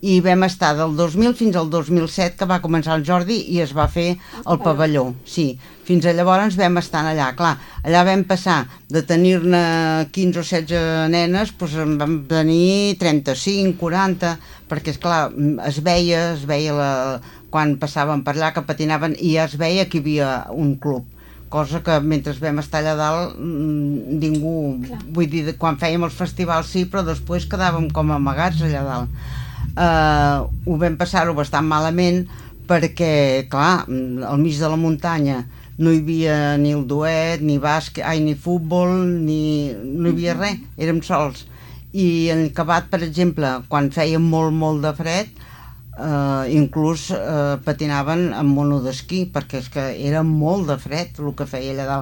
i vam estar del 2000 fins al 2007, que va començar el Jordi i es va fer el pavelló, sí. Fins a llavors vam estar allà, clar, allà vam passar de tenir-ne 15 o 16 nenes, doncs en vam tenir 35, 40, perquè esclar, es veia quan passaven per allà que patinaven i ja es veia que hi havia un club, cosa que mentre vam estar allà dalt ningú, vull dir, quan fèiem els festivals sí, però després quedàvem com amagats allà dalt. Ho vam passar-ho bastant malament perquè, clar, al mig de la muntanya no hi havia ni el duet, ni bàsquet, ni futbol, no hi havia res, érem sols. I en acabat, per exemple, quan feia molt de fred, inclús patinaven amb mono d'esquí, perquè és que era molt de fred el que feia allà dalt.